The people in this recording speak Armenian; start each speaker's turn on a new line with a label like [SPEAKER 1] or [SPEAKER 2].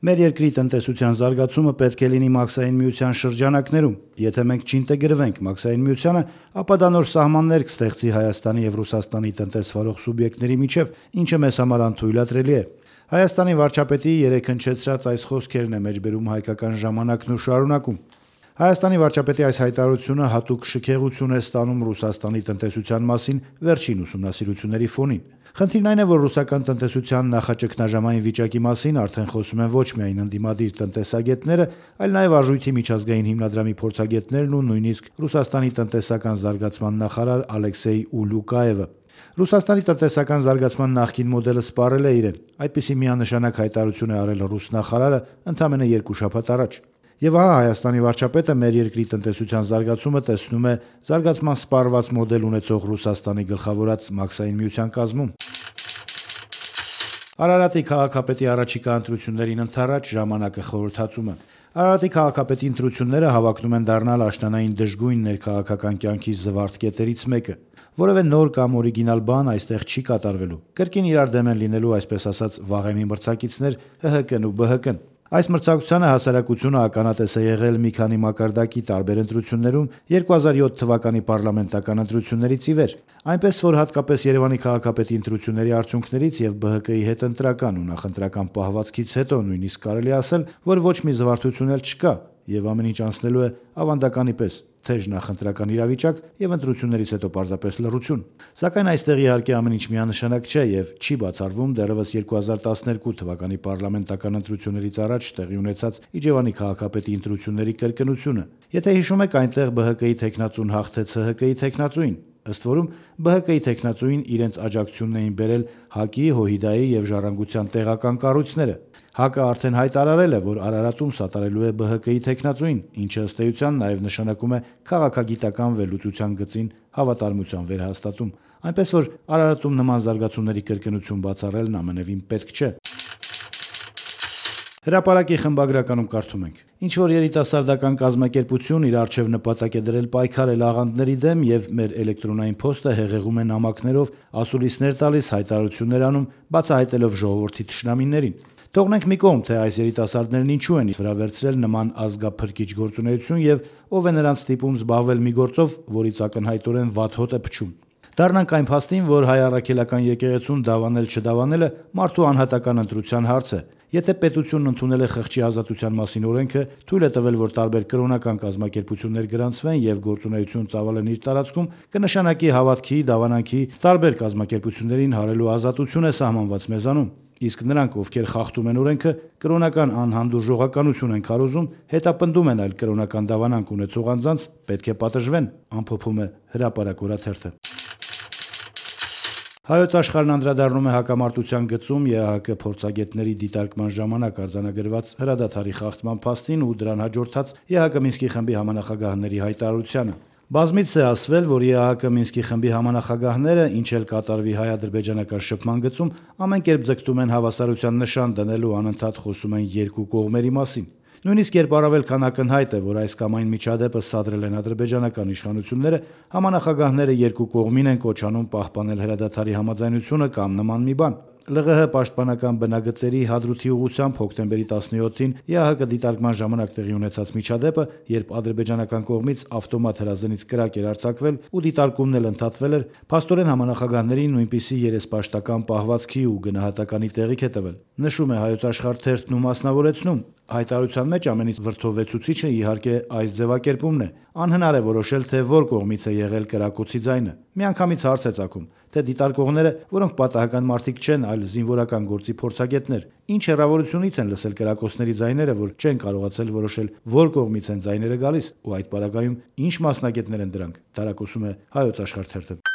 [SPEAKER 1] Մեր երկրի տնտեսության զարգացումը պետք է լինի մաքսային միության շրջանակներում։ Եթե մենք չինտեգրվենք մաքսային միությանը, ապա դա նոր սահմաններ կստեղծի Հայաստանի եւ Ռուսաստանի տնտեսվարող սուբյեկտների միջև, ինչը մեզ համար անթույլատրելի է։ Հայաստանի վարչապետի երեկ հնչեցրած այս խոսքերն է մեջբերում Հայկական ժամանակն ու շարունակում։ Հայաստանի վարչապետի այս հայտարարությունը հատուկ շքեղություն է ստանում Ռուսաստանի տնտեսության մասին վերջին ուսումնասիրությունների ֆոնին։ Խնդիրն այն է, որ ռուսական տնտեսության նախաճգնաժամային վիճակի մասին արդեն խոսում են ոչ միայն ընդդիմադիր տնտեսագետները, այլ նաև Արժույթի միջազգային հիմնադրամի փորձագետներն ու նույնիսկ Ռուսաստանի տնտեսական զարգացման նախարար Ալեքսեյ Ուլյուկաևը։ Ռուսաստանի տնտեսական զարգացման նախկին մոդելը սպառել է իրեն։ Այդպիսի միանշանակ հայտարարություն է արել ռուս նախարարը ընդամենը 2 շաբաթ առաջ։ Եվ ահա Հայաստանի վարչապետը մեր երկրի տնտեսության զարգացումը տեսնում է զարգացման սպառված մոդել ունեցող Ռուսաստանի գլխավորած մաքսային միության կազմում։ Արարատի քաղաքապետի առաջիկա ընտրություններին ընդառաջ ժամանակը խորհրդածում է։ Արարատի քաղաքապետի ընտրությունները հավակնում են դառնալ աշնանային դժգույն ներքաղաքական կյանքի զվարթ կետերից մեկը։ Որևէ նոր կամ օրիգինալ բան այստեղ չի կատարվելու։ Կրկին իրար դեմ են լինելու, այսպես ասած, վաղեմի մրցակիցներ ՀՀԿ-ն ու ԲՀԿ-ն։ Այս մրցակցությանը հասարակությունը ականատես է եղել մի քանի մակարդակի տարբեր ընտրություններում 2007 թվականի պարլամենտական ընտրություններից ի վեր, այնպես որ հատկապես Երևանի քաղաքապետի ընտրությունների արդյունքներից եւ ԲՀԿ-ի հետ ընտրական ու նախընտրական պահվածքից հետո նույնիսկ կարելի ասել, որ ոչ մի զվարթություն էլ չկա եւ ամեն ինչ անցնելու է ավանդականի պես, թեժ նախընտրական իրավիճակ եւ ընտրություններից հետո պարզապես լռություն։ Սակայն այստեղ իհարկե ամեն ինչ միանշանակ չէ եւ չի բացառվում դեռևս 2012 թվականի պարլամենտական ընտրություններից առաջ տեղի ունեցած Իջևանի քաղաքապետի ընտրությունների կրկնությունը։ Եթե հիշում եք, այնտեղ ԲՀԿ-ի տեխնացուն հաղթեց ՀՀԿ-ի տեխնացուին։ Ըստ որում ԲՀԿ-ի տեխնացուին իրենց աջակցությունն էին բերել ՀԱԿ-ի, ՀՅԴ-ի եւ Ժառանգության տեղական կառույցները։ ՀԱԿ-ը արդեն հայտարարել է, որ Արարատում սատարելու է ԲՀԿ-ի տեխնացուին, ինչը ըստ էության նաև նշանակում է քաղաքագիտական վերլուծության գծին հավատարմության վերահաստատում։ Այնպես որ Արարատում նման զարգացումների կրկնություն բացառելն ամենևին պետք չէ։ Հրապարակի խմբագրականում կարդում ենք. ինչ որ երիտասարդական կազմակերպություն իր առջև նպատակ է դրել պայքարել աղանդների դեմ եւ մեր էլեկտրոնային փոստը հեղեղում է նամակներով, ասուլիսներ տալիս, հայտարարություններ անում, բացահայտելով ժողովրդի թշնամիներին։ Թողնենք մի կողմ, թե այս երիտասարդներն ինչու են վրա վերցրել նման ազգափրկիչ գործունեություն եւ ով է նրանց ստիպում զբաղվել մի գործով, որից ակնհայտորեն վատ հոտ է փչում։ Դառնանք այն փաստին, որ հայ առաքելական եկեղեցուն դավանել-չդավանելը մարդու անհատական ընտրության հարց է։ Եթե պետությունն ընդունել է խղճի ազատության մասին օրենքը, թույլ է տվել, որ տարբեր կրոնական կազմակերպություններ գրանցվեն եւ գործունեություն ծավալեն իր տարածքում, կնշանակի հավատքի, դավանանքի տարբեր կազմակերպություններին հարելու ազատություն է սահմանված մեզանում։ Իսկ նրանք, ովքեր խախտում են օրենքը, կրոնական անհանդուրժողականություն են քարոզում, հետապնդում են այլ կրոնական դավանանք ունեցող անձանց, պետք է պատժվեն, ամփոփում է Հրապարակ օրաթերթը։ Հայոց աշխարհն անդրադառնում է հակամարտության գծում ԵԱՀԿ փորձագետների դիտարկման ժամանակ արձանագրված հրադադարի խախտման փաստին ու դրան հաջորդած ԵԱՀԿ Մինսկի խմբի համանախագահների հայտարարությանը։ Բազմիցս է ասվել, որ ԵԱՀԿ Մինսկի խմբի համանախագահները, ինչ էլ կատարվի հայ-ադրբեջանական շփման գծում, ամեն կերպ ձգտում են հավասարության նշան դնելու անընդհատ խոսում են երկու կողմերի մասին։ Նույնիսկ երբ առավել քան ակնհայտ է, որ այս կամ այն միջադեպը սադրել են ադրբեջանական իշխանությունները, համանախագահները երկու կողմին են կոչանում պահպանել հրադադարի համաձայնությունը կամ նման մի բան։ ԼՂՀ պաշտպանական բնագծերի Հադրութի ուղղությամբ հոկտեմբերի 17-ին ԵԱՀԿ դիտարկման ժամանակ տեղի ունեցած միջադեպը, երբ ադրբեջանական կողմից ավտոմատ հրազենից կրակ էր արձակվել ու դիտարկումն էլ ընդհատվել էր, փաստորեն համանախագահներին նույնպիսի երեսպաշտական պահվածքի ու գնահատականի տեղիք է տվել։ Նշում է Հայոց աշխարհ թերթն ու մասնավորեցնում. հայտարարության մեջ ամենից վրդովվեցուցիչը իհարկե այս ձևակերպումն է։ Անհնար է որոշել, թե որ կողմից է եղել կրակոցի ձայնը։ Միանգամից հարց է ծագում, թե դիտարկողները, որոնք պատահական մարդիկ չեն, այլ զինվորական գործի փորձագետներ, ինչ հեռավորությունից են լսել կրակոցների ձայները, որ չեն կարողացել որոշել, որ կողմից են ձայները գալիս, ու այդ պարագայում ինչ մասնագետներ են դրանք, տարակոսում է Հայոց աշխարհ թերթը։